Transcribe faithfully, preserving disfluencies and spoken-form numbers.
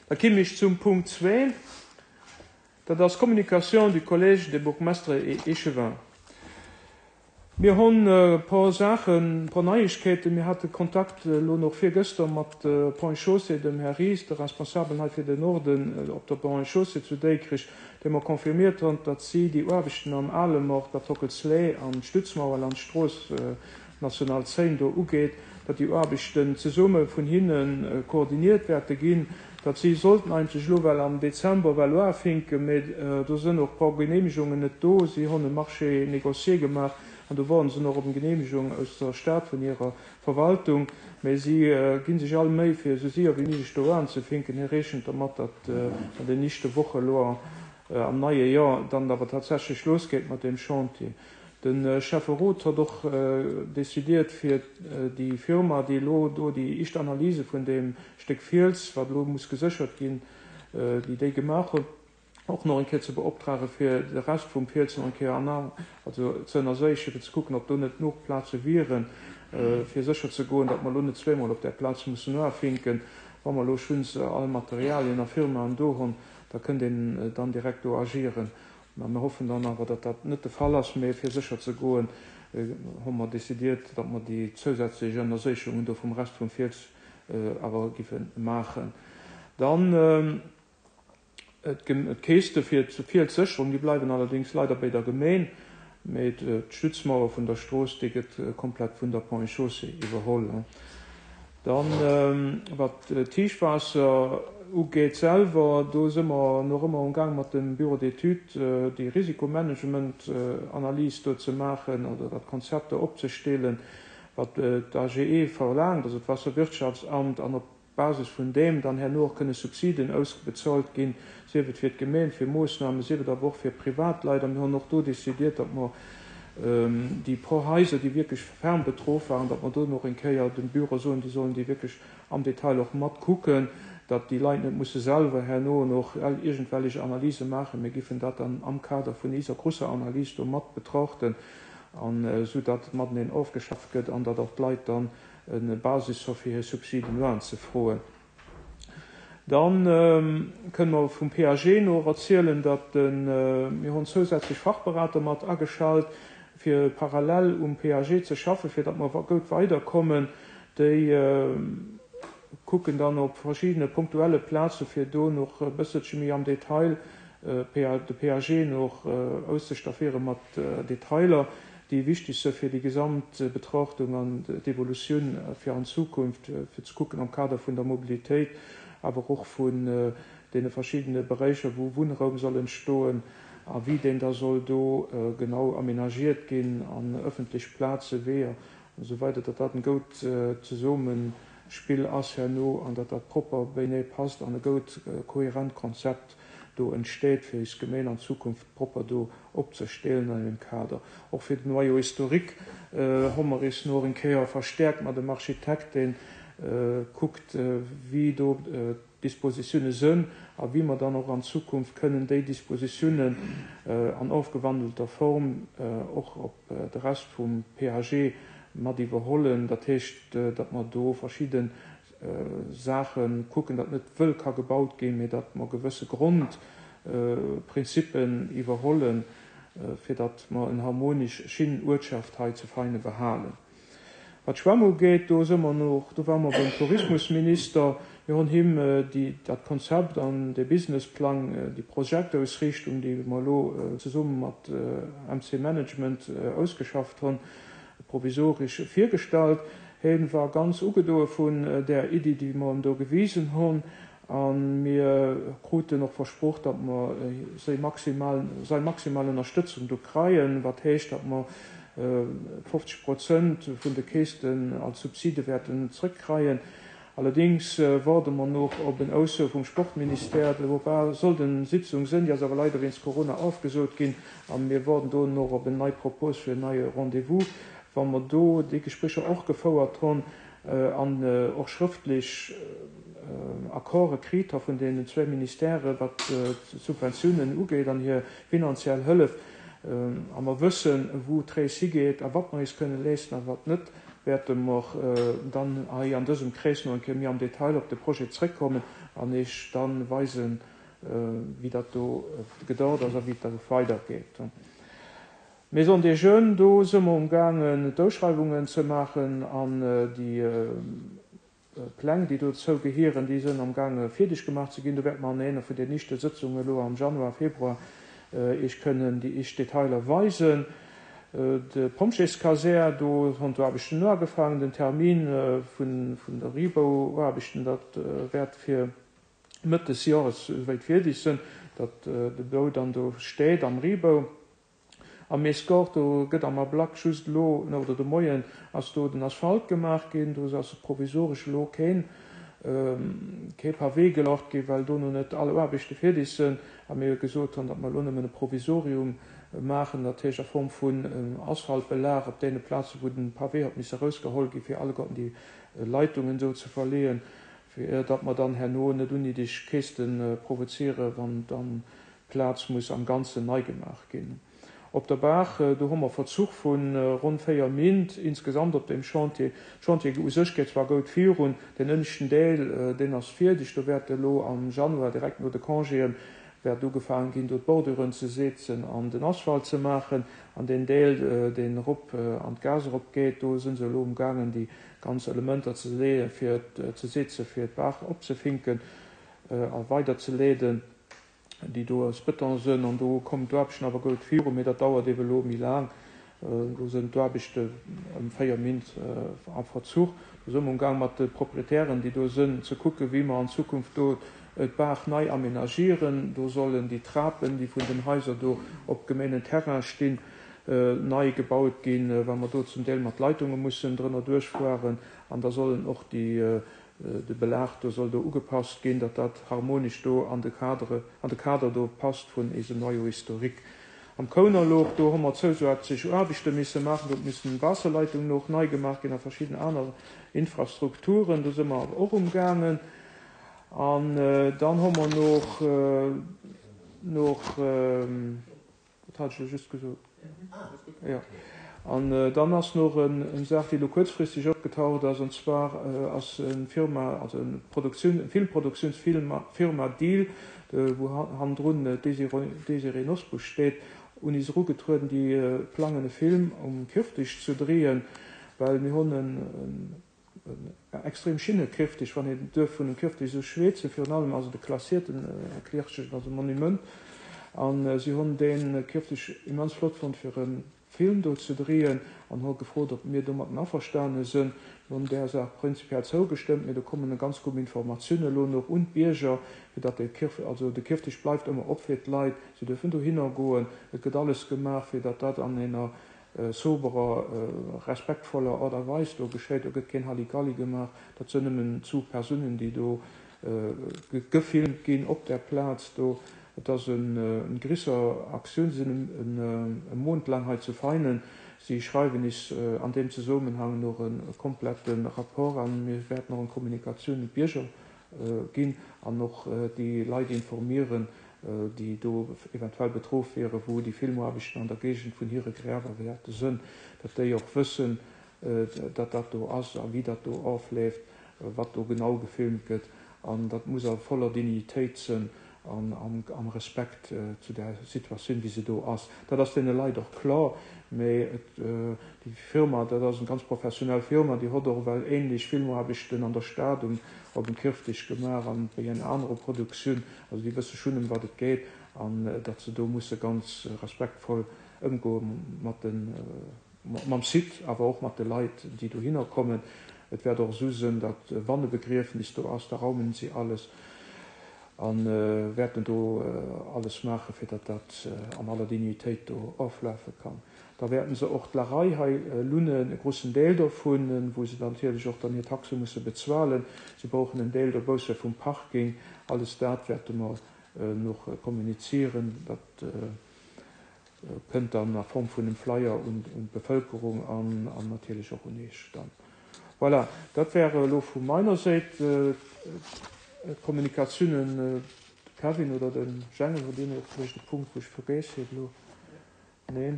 Da kimm ech zum Punkt zwee, dat ass Communication du Collège des bourgmestres et échevins. Mir hunn e puer Saachen, e puer Neiegkeeten. Mir hate Kontakt elo nach virgëschter mat Ponts et Chaussées, dem Här Ries, de Responsabelen hei fir den Norden op der Ponts et Chaussées zu Déikrich, dee mer confirmiert huet, datt si déi Aarbechten am Alemort, wat d'Hockelsleeë an d'Stützmauer an d'Strooss national zéng do ugeet, datt déi Aarbechten zesumme vun hinne koordiniert wäerte ginn, datt si sollten eigentlech elo well am Dezember well uafinken, mee do sënn och e puer Genehmigungen net do. Si hunn e Marché négocié gemaach an do woarden se nach op eng Genehmigung aus der Stad vun hirer Verwaltung, mee si gi sech all Méi fir esou séier wéi méiglech do anzefinken. Hie rechent dermat, datt an den nächste Woche elo am neie Joer dann awer tatsächlech losgeet mat deem Chantier. De Schäfferot huet och decidiert fir déi Firma, déi elo do déi éischt Analyse vun deem Stéck Fiels, wat elo muss geséchert ginn, déi déi gemaach huet, och nach eng Kéier ze beoptrage fir de Rescht vum Fiels nach eng Kéier ana also ze ënnerséichen, fir ze kucken, ob do net genuch Plaze wieren, fir sécher ze goen, datt mer elo net zweemol op där Plaz mussen uafinken. Wa mer elo schonns all Materialien a Firmaen do hunn, da kënnt een dann direkt do agieren. Mä mir hoffen dann awer, datt dat net de Fall ass, mä fir sécher ze goen, hu mer décidiert, datt mer déi zousätzlech Ënnerséichungen do vum Rescht vum Fiels awer giffe maachen. Dann d'Keeste fir d'Fielssécherung, déi bleiwen allerdéngs leider bei der Gemeen, mä d'Stützmauer vun der Strooss, déi gëtt komplett vun der Ponts et Chaussées iwwerholl. Dann, wat d'Héichwaasser ugeet selwer, do si mer nach ëmmer am Gaang mat dem Bureau d'études déi Risikomanagement-Analys do ze maachen oder dat Konzept do opzestellen, wat d'AGE verlaangt, also d'Waasserwirtschaftsamt, an op Basis vun deem dann herno och kënne Subsiden ausbezuelt ginn, sief et fir d'Gemeen, fir Moossnamen, sief et awer och fir Privatleit. A mir hunn och do décidiert, datt mer déi puer Haiser, déi wierklech ferm betroff waren, datt mer do nach eng Kéier dem Büro soen, déi sollen déi wierklech am Detail och mat kucken, datt déi Leit net musse selwer herno nach iergendwellech Analyse maachen. Mir giffen dat dann am Kader vun iser grosser Analys do mat betrachten, an esou datt mateneen ofgeschafft gëtt an datt och d'Leit dann e Basis hu fir hir Subsiden unzefroen. Dann kënne mer vum P A G no erzielen, datt mir hunn zousätzlech Fachberater mat ageschalt, fir parallel um P A G ze schaffen, fir datt mer gutt weiderkommen. Déi kucken dann op verschiddene punktuelle Plaze fir do nach e bësselche méi am Detail de P A G nach auszestaffiere mat Detailer, déi wichteg si fir déi gesamt Betrachtung an d'Evolutioun fir an Zukunft, fir ze kucken am Kader vun der Mobilitéit, awer och vun deene verschiddene Beräicher, wou Wunnraum soll entstoen a wéi deen da soll do genau aménagiert ginn an ëffentlech Plaze, Weeër an esou weider, datt dat en goud Zesummespill ass herno an datt dat propper beienee passt an e goud kohärent Konzept do entsteet, fir eis Gemeen an Zukunft propper do opzestellen an engem Kader. Och fir den Noyau historique hu mer eis nach eng Kéier verstäerkt mat dem Architekt, deen kuckt, wéi do d'Dispositioune sënn a wéi mer dann och an Zukunft kënnen déi Dispositiounen an ofgewandelter Form och op de Rest vum P A G mat iwwerhollen. Dat heescht, datt mer do verschidde Saache kucken, datt net wëll ka gebaut ginn, mee datt mer gewësse Grondprinzippen iwwerhollen, fir datt mer en harmonesch schin Uertschaft hei zu Veinen behalen. Wat d'Schwämm ugeet, do si mer nach, do ware mer beim Tourismusminister, mir hunn him déi, dat Konzept an de Businessplang, déi Projektausriichtung, déi mer elo zesumme mat M C Management ausgeschafft hunn, provisoresch virgestallt. Hie war ganz ugedoe vun där Iddi, déi mer em do gewisen hunn, a mir kruten och versproch, datt mer séi maximal, sei maximal Ënnerstëtzung do kreien, wat heescht, datt mer fofzeg Prozent vun de Käschten als Subside wäerten zrëckkreien. Allerdéngs waarde mer nach op en Ausso vum Sportministère. Do war sollt eng Sitzung sinn, déi ass awer leider wéinst Corona ofgesot ginn, a mir waarden do nach op en nei Propos fir en neie Rendez-vous. Wa mer do déi Gesprécher och gefouert hunn an och schrëftlech Accorde kritt hu vun deenen zwee Ministèrë wat d'Subventiounen ugeet an hir finanziell Hëllef, a mer wëssen, wou d'Rees higeet a wat mer eis kënne leeschten a wat net, wäerte mer dann hei an dësem Krees nach eng Kéier méi am Detail op de Projet zréckkommen. an Iech dann weisen, wéi dat do gedauert ass a wéi et da weidergeet. Maison des Jeunes, do si mer umgaangen d'Ausschreiwungen ze maachen an déi Pläng, déi dozou gehieren, déi sënn amgaange fierdeg gemaach ze ginn. Do wäerte mer an enger vun den nächste Sëtzungen elo am Januar, Februar Iech kënnen déi éischt Detailer weisen. De Pompjeeskasär, do hunn d'Aarbechten elo ugefaangen. Den Termin vun de Rebauaarbechten, dat wäert fir Mëtt des Jores souwäit fierdeg sënn, datt de Bau dann do steet am Rebau. Am Escort, do gëtt am Ablack just elo, oder de Moien ass do den Asphalt gemaach ginn, do ass provisoresch elo keen kee Pavé gelagt ginn, well do no net all Aarbechte fierdeg sënn a mir gesot hunn, datt mer elo nëmmen e Provisorium maachen, dat heescht a Form vun Asphaltbelag op deene Plaze wou den Pavé huet misse erausgeholl gi fir alleguerten déi Leitungen do ze verleeën, fir datt mer dann herno net unnéideg Käschte provoziere wann dann d'Plaz muss am Ganzen nei gemaach ginn. Op der Baach, do hu mer Verzuch vu ronn véier Mint insgesamt op deem Chantier. De Chantier u sech geet zwar goud virun, deen ënneschten Deel, deen ass fierdeg. Do wäert elo am Januar, direkt no de Congéen, wäert ugefaangen ginn, do d'Borduren ze seezen an den Asphalt ze maachen. An deen Deel, deen erop an d'Gaass erop geet, do si se elo umgaangen, déi ganz Elementer ze leeën, fir ze seezen, fir d'Baach opzefinken a weiderzeleeden. déi do aus Bëton sënn, an do kommen d'Aarbechten awer goud viru, mee dat dauert ebe lo méi laang. Do sënn d'Aarbechte ëm véier Mint am Verzuch. Do sënn mer umgaang mat de Proprietären, déi do sënn, ze kucke wéi mer an Zukunft do d'Baach nei aménagieren. Do sollen déi Trapen, déi vun den Haiser do op gemeenen Terrain stinn, nei gebaut ginn, well mer do zum Deel mat Leitunge mussen drënner duerchfueren. An da sollen och déi De Belag do soll do ugepasst ginn, datt dat harmonesch do an de Cadre, an de Kader do passt vun eisem Noyau historique. Am Kounerloch, do hu mer zousätzlech Aarbechte misse maachen, do huet missen Waasserleitungen och nei gemaach ginn a verschidden aner Infrastrukturen, do si mer awer och umgaangen. An dann hu mer noch, noch, dat hat ech elo just gesot. Jo. An dann ass nach eng Saach, déi elo kuerzfristeg opgetaucht ass, an zwar ass eng Firma, also eng Produktioun, eng Filmproduktiounsfirma Deal, wou hannendrun d'Désirée Nosbusch steet, un is erugetrueden, déi plangen e Film um Kirfdich ze dréien, well mir hunn en extrem schinne Kirfdich, wann een duerf vun dem Kirfdich esou schweetzen, virun allem ass et e klassierten Kirfdich, also e Monument, a si hunn dee Kirfdich immens flott fonnt fir e Film do ze dréien an hu gefrot, ob mir domatten averstane sënn. Mir hunn där Saach prinzipiell zougestëmmt, mee do kommen e ganz Grupp Informatiounen elo nach un d'Bierger, fir datt de Kirf, also de Kirfdich bleift ëmmer op fir d'Leit, si dürfen dohinner goen, et gëtt alles gemaach, fir datt dat an enger soberer, respektvoller Art a Weis do geschéit. Do gëtt keen Halligalli gemaach, dat sënn nëmmen zu Persounen, déi do gefilmt ginn op där Plaz do. Et ass en grisser Aktioun, si sinn e Mount laang hei zu Veinen. Si schreiwen is an deem Zesummenhang nach e komplette Rapport an mir wäerten och eng Kommunikatioun un d'Bierger ginn an och déi Leit informieren, déi do eventuell betroff wieren, wou déi Filmaarbechten an der Géigend vun hire Griewer wäerte sënn, datt déi och wëssen, datt dat do ass a wéi dat do ofleeft, wat do genau gefilmt gëtt. An dat muss a voller Dignitéit sënn an am Respekt zu där Situatioun, wéi se do ass. Dat ass deene Leit och kloer, mee et, déi Firma, dat ass eng ganz professionell Firma, déi hott och ewell ähnlech Filmaarbechten an der Stad um, op dem Kirfdich gemaach an bei enger anerer Produktioun. Also déi wësse schonn, ëm wat et geet an datt se do musse ganz respektvoll ëmgoe mat den, mam Site, awer och mat de Leit, déi dohinner kommen. Et wäert och esou sënn, datt wann e Begriefnis do ass, da raumen si alles a wäerten do alles maachen, fir datt dat an aller Dignitéit do oflafe kann. Da wäerten se och d'Larei hei lunnen, e grussen Deel dovun, wou se dann natierlech och dann hir Taxe musse bezuelen. Si brauchen en Deel dobausse vum Parking. Alles dat wäerte mer noch kommunizieren. Dat kënnt dann a Form vun engem Flyer un d'Bevölkerung an natierlech och un Iech dann. Voilà, dat wäre elo vu meiner Säit d'Kommunikatiounen. De Kevin oder de Jengel, hutt Dir nach vläicht e Punkt, wou ech vergiess hunn elo? Neen.